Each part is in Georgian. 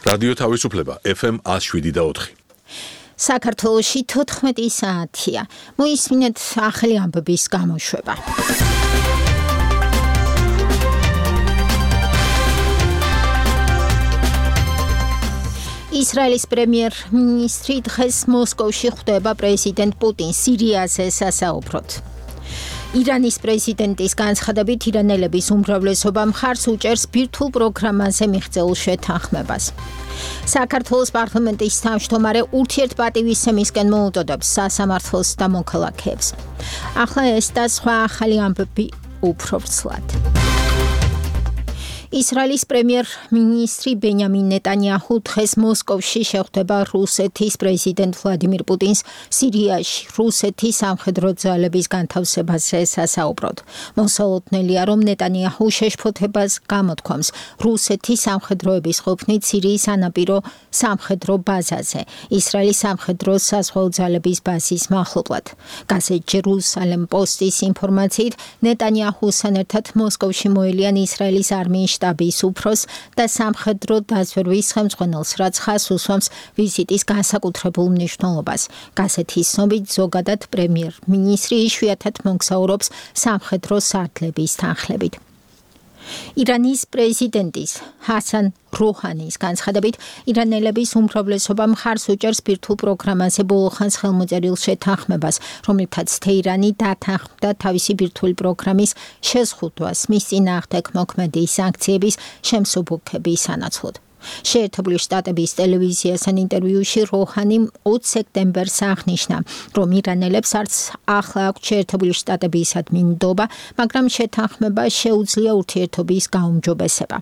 რადიო თავისუფლება FM 107.4. საქართველოში 14 საათია. მოისმინეთ ახალი ამბების გამოშვება. ისრაელის პრემიერ-მინისტრი დღეს მოსკოვში ხვდება პრეზიდენტ პუტინს სირიაზე სასაუბროდ. ირანის პრეზიდენტის განცხადებით ირანელების უმრავლესობა მხარს უჭერს ბირთვულ პროგრამაზე მიღწეულ შეთანხმებას. საქართველოს პარლამენტის თავმჯდომარე ურთიერთპატივისცემისკენ მოუდოდებს სასამართლოს და მოქალაქეებს. ახლა ეს და სხვა ახალი ამბები უფრო ვრცლად. ისრაელის პრემიერ-მინისტრი ბენიამინ ნეტანიაჰუ დღეს მოსკოვში შეხვდება რუსეთის პრეზიდენტ ვლადიმირ პუტინს სირიაში რუსეთის სამხედრო ძალების განთავსებაზე სასაუბროდ. მოსალოდნელია, რომ ნეტანიაჰუ შეშფოთებას გამოთქვამს რუსეთის სამხედროების ყოფნით სირიის სანაპირო სამხედრო ბაზაზე, ისრაელის სამხედრო საზღვაო ძალების ბაზის მახლობლად. გაზეთ ჯერუსალემ პოსტის ინფორმაციით, ნეტანიაჰუსთან ერთად მოსკოვში მოელიან ისრაელის არმიის შტაბის უფროს და სამხედრო დაზვერვის ხელმძღვანელს, რაც ხაზს უსვამს ვიზიტის განსაკუთრებულ მნიშვნელობას. გაზეთის ცნობით, ზოგადად პრემიერ-მინისტრი იშვიათად მოგზაურობს სამხედრო სარდლების თანხლებით. ირანის პრეზიდენტის ჰასან როჰანის განცხადებით, ირანელების უმრავლესობა მხარს უჭერს ბირთვულ პროგრამაზე ბოლოხანს ხელმოწერილ შეთანხმებას, რომლითაც თეირანი დათანხმდა თავისი ბირთვული პროგრამის შეზღუდვას მის წინააღმდეგ მოქმედი სანქციების შემსუბუქების სანაცვლოდ. შეერთებული შტატების ტელევიზიასთან ინტერვიუში როჰანი 20 სექტემბერს აღნიშნა, რომ ირანელებს არც ახლა აქვთ შეერთებული შტატებისადმი ნდობა, მაგრამ შეთანხმება შეუძლია ურთიერთობის გაუმჯობესება.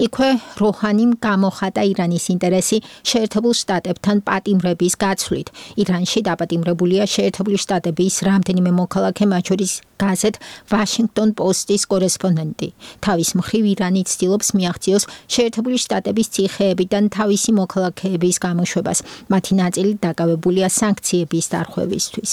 იქვე როჰანიმ გამოხატა ირანის ინტერესი შეერთებულ შტატებთან პატიმრების გაცვლით. ირანში დაპატიმრებულია შეერთებული შტატების რამდენიმე მოქალაქე, მათ შორის გაზეთ ვაშინგტონ პოსტის კორესპონდენტი. თავის მხრივ ირანი ცდილობს მიაღწიოს შეერთებული შტატების ციხეებიდან თავისი მოქალაქეების გამოშვებას. მათი ნაწილი დაკავებულია სანქციების დარღვევისთვის.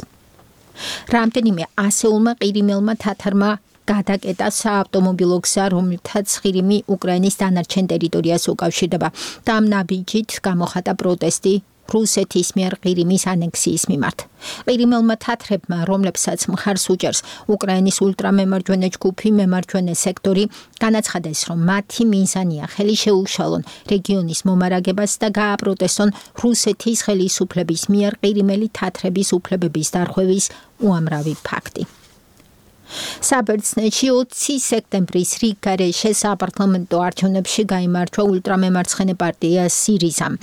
რამდენიმე ასეულმა ყირიმელმა თათარმა გადაკეტა საავტომობილო გზა, რომლითაც ყირიმი უკრაინის დანარჩენ ტერიტორიას უკავშირდება. და ამ ნაბიჯით გამოხატა პროტესტი რუსეთის მიერ ყირიმის ანექსიის მიმართ. ყირიმელმა თათრებმა, რომლებსაც მხარს უჭერს უკრაინის ულტრამემარჯვენე ჯგუფი მემარჯვენე სექტორი, განაცხადეს, რომ მათი მიზანია ხელი შეუშალონ რეგიონის მომარაგებას და გააპროტესტონ რუსეთის ხელისუფლების მიერ ყირიმელი თათრების უფლებების დარღვევის უამრავი ფაქტი. საბერძნეთში 20 სექტემბრის რიგგარეშე საპარლამენტო არჩევნებში გაიმარჯვა ულტრამემარცხენე პარტია სირიზამ.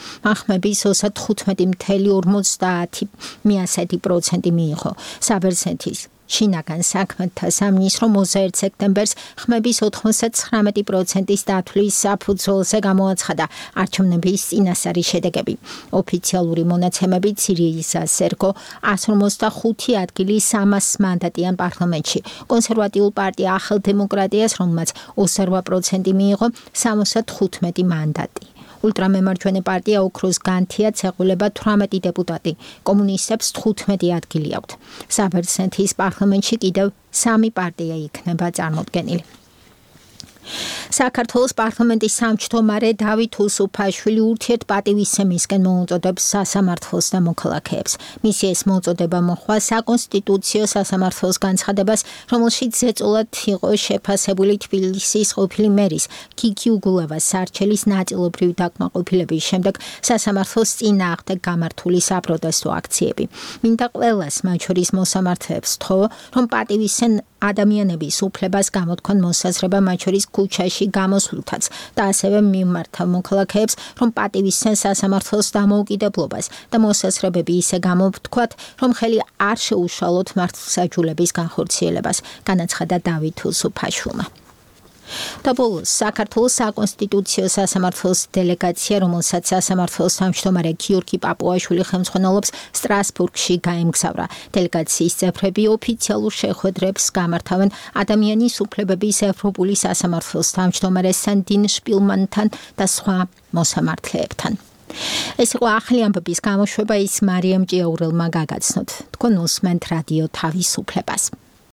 ხმების 35.50% მიიღო. საბერძნეთის შინაგან საქმეთა სამინისტრო 21 სექტემბერს ხმების 99%-ის დათვლის საფუძველზე გამოაცხადა არჩევნების წინასწარი შედეგები. ოფიციალური მონაცემებით სირიზა სერგო 155 ადგილი 300 მანდატიან პარლამენტში. კონსერვატიულ პარტია ახალ დემოკრატიას, რომელმაც 20% მიიღო, 75 მანდატი. ულტრამემარჯვენე პარტია ოქროს განთიაც ეყოლება 18 დეპუტატი, კომუნისტებს 15 ადგილი აქვთ. საბერძნეთის პარლამენტში კიდევ 3 პარტია იქნება წარმოდგენილი. საქართველოს პარლამენტის თავმჯდომარე დავით უსუფაშვილი ურთიერთპატივისცემისკენ მოუწოდებს სასამართლოს და მოქალაქეებს. მისი ეს მოწოდება მოჰყვა საკონსტიტუციო სასამართლოს განცხადებას, რომელშიც ზეწოლად იყო შეფასებული თბილისის ყოფილი მერის გიგი უგულავას სარჩელის ნაწილობრივი დაკმაყოფილების შემდეგ სასამართლოს წინააღმდეგ გამართული საპროტესტო აქციები. მინდა ყველას, მათ შორის მოსამართლეებს, ვთხოვო, რომ პატივისცენ ადამიანების უფლებას გამოთქვან მოსაზრება, მათ შორის ქუჩაში გამოსვლითაც და ასევე მიმართა მოქალაქეებს, რომ პატივისცენ სასამართლოს დამოუკიდებლობას და მოსაზრებები ისე გამოვთქვათ, რომ ხელი არ შეუშალოთ მართლმსაჯულების განხორციელებას, განაცხადა დავით უსუფაშვილმა. და ბოლოს საქართველოს საკონსტიტუციო სასამართლოს დელეგაცია, რომელსაც სასამართლოს თავმჯდომარე გიორგი პაპუაშვილი ხელმძღვანელობს, სტრასბურგში გაემგზავრა. დელეგაციის წევრები ოფიციალურ შეხვედრებს გამართავენ ადამიანის უფლებების ევროპული სასამართლოს თავმჯდომარე სან딘 შპილმანთან და სხვა მოსამართლეებთან. ეს იყო ახალი ამბების გამოშვება, ის მარიამ ჭიაურელმა გაგაცნოთ. თქვენ უსმენთ რადიო თავისუფლებას.